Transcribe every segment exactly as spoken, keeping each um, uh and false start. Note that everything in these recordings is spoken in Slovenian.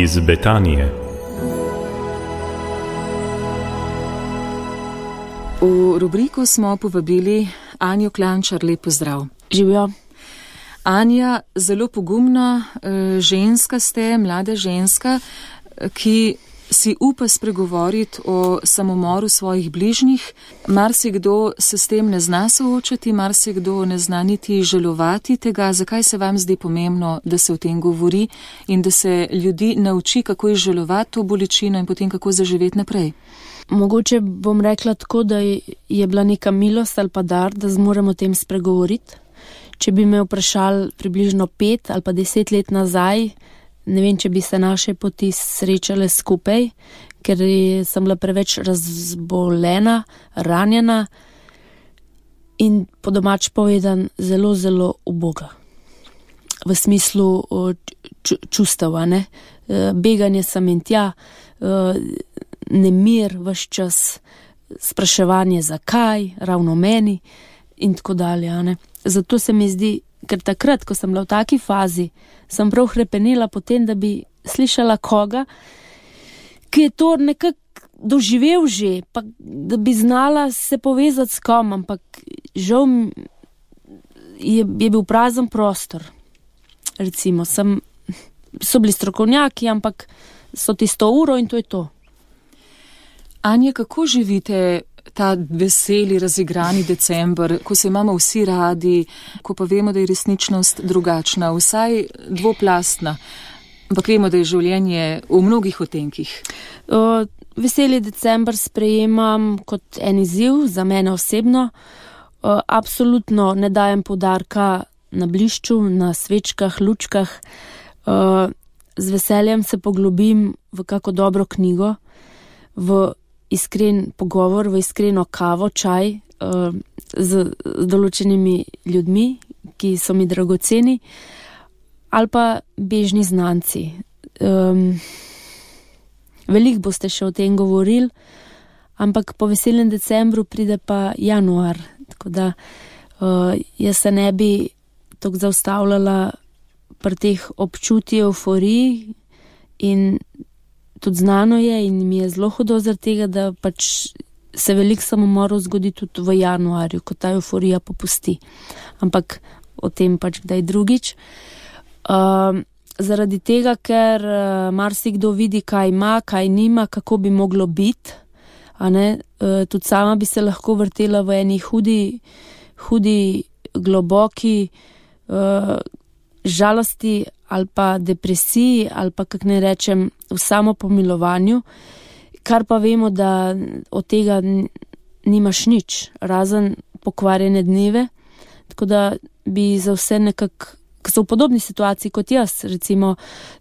iz Betanije. V rubriko smo povabili Anjo Klančar, lep pozdrav. Živijo. Anja, zelo pogumna ženska ste, mlada ženska, ki si upa spregovoriti o samomoru svojih bližnjih. Marsikdo se s tem ne zna soočati, marsikdo ne zna niti žalovati tega. Zakaj se vam zdi pomembno, da se o tem govori in da se ljudi nauči, kako izžalovati to bolečino in potem kako zaživeti naprej? Mogoče bom rekla tako, da je bila neka milost ali pa dar, da zmoremo o tem spregovoriti. Če bi me vprašali približno pet ali pa deset let nazaj, ne vem, če bi se naše poti srečale skupaj, ker sem bila preveč razbolena, ranjena in po domač povedan zelo, zelo uboga. V smislu čustev, ne? Beganje sem in tja, nemir ves čas, spraševanje zakaj, ravno meni in tako dalje, ne? Zato se mi zdi, ker takrat, ko sem bila v taki fazi, sem prav hrepenela potem, da bi slišala koga, ki je to nekako doživel že, pa da bi znala se povezati s kom, ampak žal je, je bil prazen prostor. Recimo, sem, so bili strokovnjaki, ampak so tisto uro in to je to. Anja, kako živite ta veseli, razigrani december, ko se imamo vsi radi, ko pa vemo, da je resničnost drugačna, vsaj dvoplastna, ampak vemo, da je življenje v mnogih otenkih? O, veseli december sprejemam kot en izziv za mene osebno. O, absolutno ne dajem poudarka na blišču, na svečkah, lučkah. O, z veseljem se poglobim v kako dobro knjigo, v iskren pogovor, v iskreno kavo, čaj uh, z, z določenimi ljudmi, ki so mi dragoceni, ali pa bežni znanci. Um, Veliko boste še o tem govorili, ampak po veselem decembru pride pa januar, tako da uh, jaz se ne bi tako zaustavljala pri teh občutij euforiji in tudi znano je in mi je zelo hudo zaradi tega, da pač se veliko samomorov zgodi tudi v januarju, ko ta euforija popusti. Ampak o tem pač kdaj drugič. Uh, zaradi tega, ker uh, marsikdo vidi, kaj ima, kaj nima, kako bi moglo biti. A ne? Uh, tudi sama bi se lahko vrtela v eni hudi, hudi globoki uh, žalosti ali pa depresiji, ali pa, kak ne rečem, v samopomilovanju, kar pa vemo, da od tega nimaš nič, razen pokvarjene dneve, tako da bi za vse nekako, ki so v podobni situaciji kot jaz, recimo,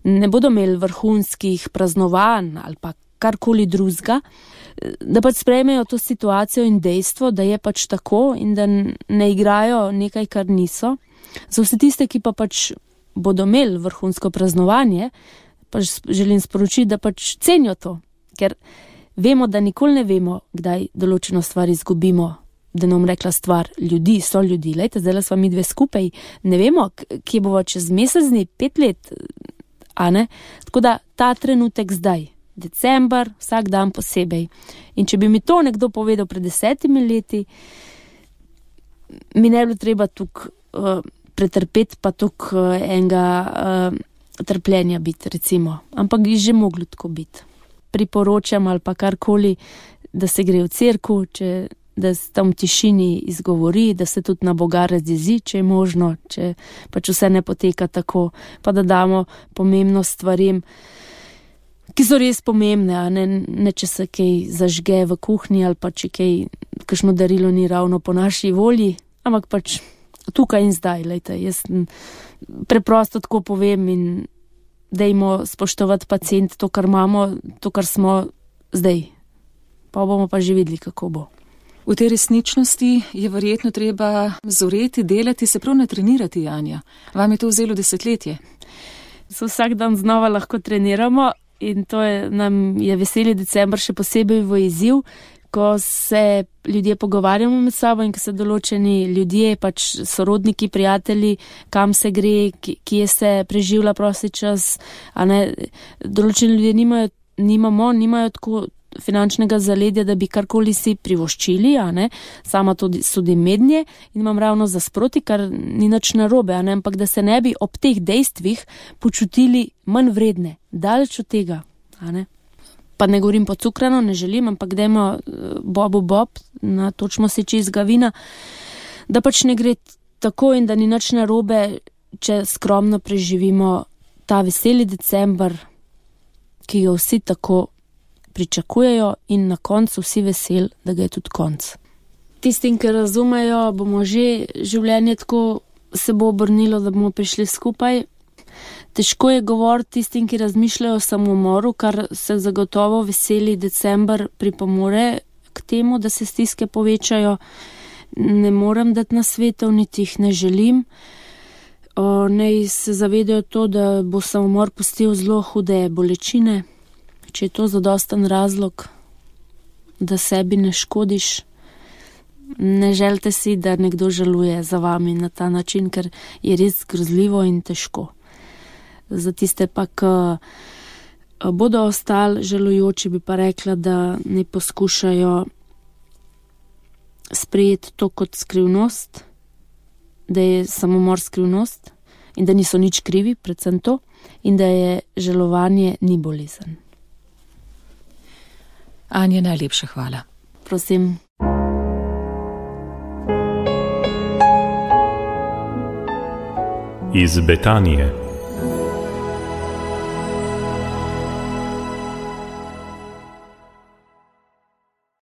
ne bodo imeli vrhunskih praznovanj ali pa karkoli drugega, da pač sprejmejo to situacijo in dejstvo, da je pač tako in da ne igrajo nekaj, kar niso. Za vse tiste, ki pa pač bodo imeli vrhunsko praznovanje, pač želim sporočiti, da pač cenijo to, ker vemo, da nikoli ne vemo, kdaj določeno stvar izgubimo, da nam rekla stvar ljudi, so ljudi, lejte, zdaj sva mi dve skupaj, ne vemo, kje bova čez mesec dni, pet let, a ne? Tako da ta trenutek zdaj, december, vsak dan posebej. In če bi mi to nekdo povedal pred desetimi leti, mi ne bilo treba tukaj uh, pretrpeti pa tuk enega uh, trpljenja biti, recimo. Ampak je že moglo tako biti. Priporočam ali pa karkoli, da se gre v cerkev, če da se tam v tišini izgovori, da se tudi na Boga razjezi, če je možno, če pač vse ne poteka tako, pa da damo pomembnost stvarem, ki so res pomembne, a ne, ne če se kaj zažge v kuhinji ali pa če kaj, kakšno darilo ni ravno po naši volji, ampak pač tukaj in zdaj, lejte, jaz preprosto tako povem in dajmo spoštovati pacient to, kar imamo, to, kar smo zdaj. Pa bomo pa že videli, kako bo. V tej resničnosti je verjetno treba zoreti, delati, se prav natrenirati, Anja. Vam je to vzelo desetletje? Se vsak dan znova lahko treniramo in to je, nam je veseli december še posebej v izziv, ko se ljudje pogovarjamo med sabo in ko se določeni ljudje, pač sorodniki, prijatelji, kam se gre, kje se preživlja prosti čas, a ne, določeni ljudje nimajo, nimamo, nimajo tako finančnega zaledja, da bi karkoli si privoščili, a ne, sama tudi sodim mednje in imam ravno za sproti, kar ni nič narobe, a ne, ampak da se ne bi ob teh dejstvih počutili manj vredne, daleč od tega, a ne. Pa ne govorim pocukrano, ne želim, ampak dajmo bobu bob, natočimo si čistega vina, da pač ne gre tako in da ni nič narobe, če skromno preživimo ta veseli december, ki ga vsi tako pričakujejo in na koncu vsi vesel, da ga je tudi konc. Tistim, ki razumejo, bomo že življenje tako se bo obrnilo, da bomo prišli skupaj. Težko je govoriti tistim, ki razmišljajo o samomoru, kar se zagotovo veseli december pripomore k temu, da se stiske povečajo. Ne morem dati nasvetov, niti jih ne želim. O, naj se zavedajo to, da bo samomor pustil zelo hude bolečine. Če je to zadosten razlog, da sebi ne škodiš, ne želite si, da nekdo žaluje za vami na ta način, ker je res grozljivo in težko. Za tiste pa, ki bodo ostali žalujoči, bi pa rekla, da ne poskušajo sprejeti to kot skrivnost, da je samomor skrivnost in da niso nič krivi, predvsem to, in da je žalovanje ni bolezen. Anja, najlepša hvala. Prosim. Iz Betanije.